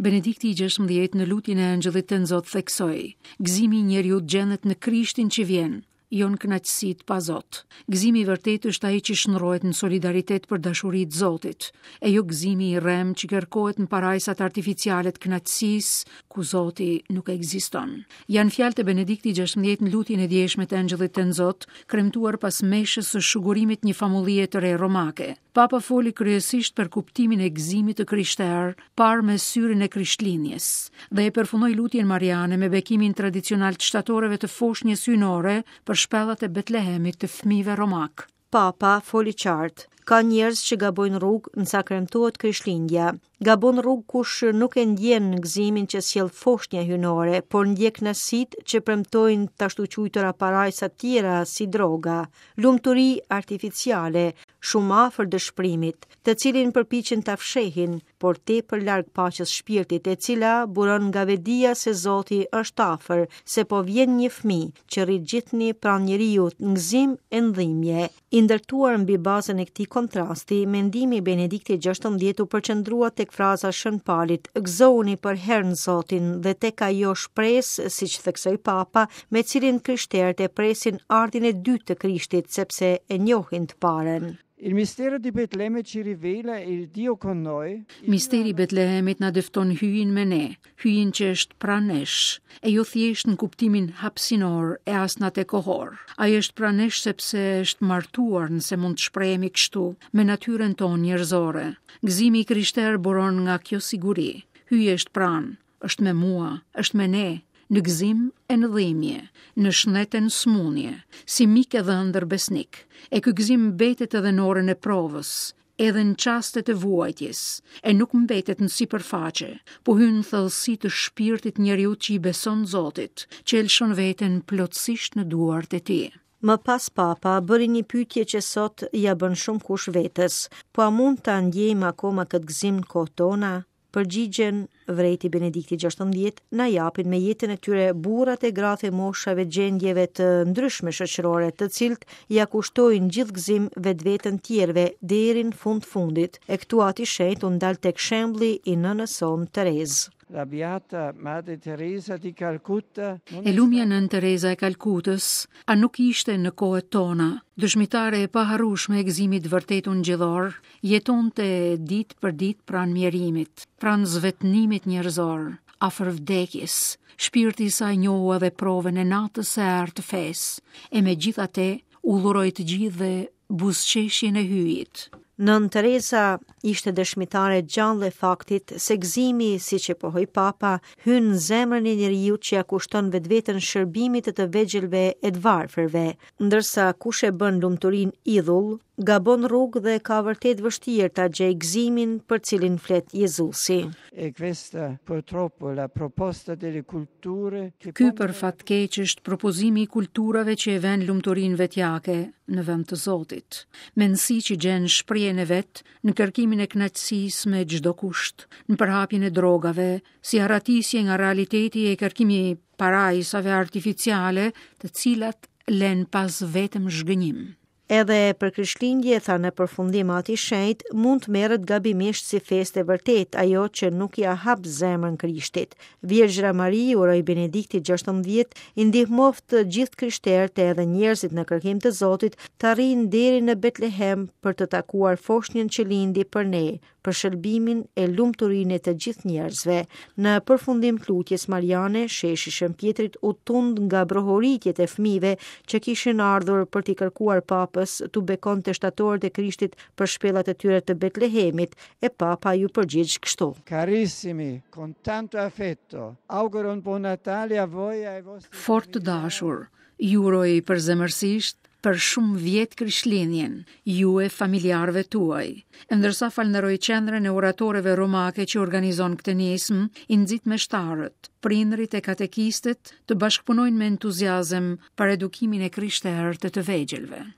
Benedikti i 16 në lutjen e Engjëllit Tënzot theksoi: Gëzimi i njeriut gjendet në Krishtin që vjen, jo në kënaqësitë pa Zot. Gëzimi i vërtetë është ai që shndërrohet në solidaritet për dashuri të Zotit, e jo gëzimi i rremë që kërkohet në parajsat artificiale të kënaqësisë, ku Zoti nuk ekziston. Janë fjalët e Benediktit 16 në lutjen e djeshme të Engjëllit Tënzot, kremtuar pas meshës së shugurimit një famullie të re romake. Papa foli kryesisht për kuptimin e gëzimit të krishterë, parë me syrin e Krishtlindjes, dhe e përfundoi lutjen mariane me bekimin tradicional të shtatoreve të foshnjës hyjnore për shpellat e Betlehemit të fëmijëve romakë. Papa foli qartë. Ka njerëz që gabojnë rrugë nësa kremtohet Krishtlindja. Gabon rrugë kush nuk e ndjen gëzimin që sjell foshnja hyjnore, por ndjek kënaqësitë që premtojnë të ashtuquajtura parajsa tjera si droga, lumturi artificiale, shumë afër dëshpërimit, të cilin përpiqen ta fshehin, por tepër larg paqes shpirtit, e cila buron nga vetëdija se Zoti është afër, se po vjen një fëmijë që rri gjithnjë pranë njeriut në gëzim e në dhimbje. I ndërtuar mbi bazën e këtij kontrasti, mendimi i Benediktit XVI u përqendrua tek fraza e Shën Palit, "Gëzohuni përherë në Zotin" dhe tek ajo shpresë, siç theksoi Papa, me cilin krishterët e presin ardhjen e dytë të Krishtit, sepse e njohin të parën. Il mistero di Betlemme ci rivela il Dio con noi. Misteri i Betlehemit na dëfton Hyjin me ne, Hyjin që është pranë nesh, e jo thjesht në kuptimin hapësinor e as në atë kohor. Ai është pranë nesh sepse është martuar, nëse mund të shprehemi kështu, me natyrën tonë njerëzore. Gëzimi i krishterë buron nga kjo siguri. Hyji është pranë, është me mua, është me ne, në gëzim e në dhimbje, në shëndet e në sëmundje, si mik e dhëndër besnik. E ky gëzim mbetet edhe në orën e provës, edhe në çastet e vuajtjes, e nuk mbetet në sipërfaqe, po hyn në thellësi të shpirtit të njeriut që i beson Zotit, që e lëshon veten plotësisht në duart e tij. Më pas Papa bëri një pyetje që sot ia bën shumëkush vetes, po a mund ta ndjejmë akoma këtë gëzim në kohët tona? Përgjigjen, vërejti Benedikti 16, na japin me jetën e tyre burrat e gratë e moshave gjendjeve të ndryshme shoqërore, të cilët ia kushtojnë gjithë gëzim vetveten tjerëve deri në fund të fundit. E këtu Ati i Shenjtë u ndal tek shembulli i nënës sonë Terezë. La Beata Madre Teresa di Calcutta. E lumja Nënë Tereza e Kalkutës, a nuk ishte në kohët tona, dëshmitare e paharrueshme e gëzimit të vërtetë ungjillor, Jetonte ditë për ditë pranë mjerimit, pranë zvetënimit njerëzor, afër vdekjes. Shpirti i saj njohu edhe provën e natës së errët të fesë, e megjithatë u dhuroi të gjithëve buzëqeshjen e Hyjit. Nënë Tereza ishte dëshmitare e gjallë e faktit se gëzimi, siç e pohoi Papa, hyn në zemrën e njeriut që ia kushton vetveten shërbimit të të vegjëlve e të varfërve, ndërsa kush e bën lumturinë idhull, gabon rrugë dhe ka vërtet vështirë ta gjejë gëzimin për cilin flet Jezusi. E questa purtroppo la proposta delle culture che Ky për fat keq është propozimi i kulturave që e vënë lumturinë vetjake në vend të Zotit. Mendësi që gjen shprehjen e vet në kërkimin e kënaqësisë me çdo kusht, në përhapjen e drogave, si arratisje nga realiteti e kërkimi i parajsave artificiale, të cilat lënë pas vetëm zhgënjim. Edhe për Krishtlindje, tha në përfundim Ati i Shenjtë, mund të merret gabimisht si festë e vërtetë, ajo që nuk ia hap zemrën Krishtit. Virgjëra Mari, uroi Benedikti 16, i ndihmoftë gjithë krishterët edhe njerëzit në kërkim të Zotit të arrijnë deri në Betlehem për të takuar foshnjën që lindi për ne, për shëlbimin e lumturinë e të gjithë njerëzve. Në përfundim të lutjes mariane, sheshi i Shën Pjetrit u tund nga brohoritjet e fëmijëve që kishin ardhur për t'i kërkuar papës t'u bekonte shtatoret e Krishtit për shpellat e tyre të Betlehemit, e papa iu përgjigj kështu. Carissimi, con tanto affetto, auguro un buon Natale a voi e ai vostri Fort të dashur, ju uroj përzemërsisht për shumë vjet Krishtlindjen, ju e familjarëve tuaj. E ndërsa falënderoj Qendrën e Oratoreve Romake që organizon këtë nismë, i nxit meshtarët, prindërit e katekistët të bashkëpunojnë me entuziazëm për edukimin e krishterë të të vegjëlve.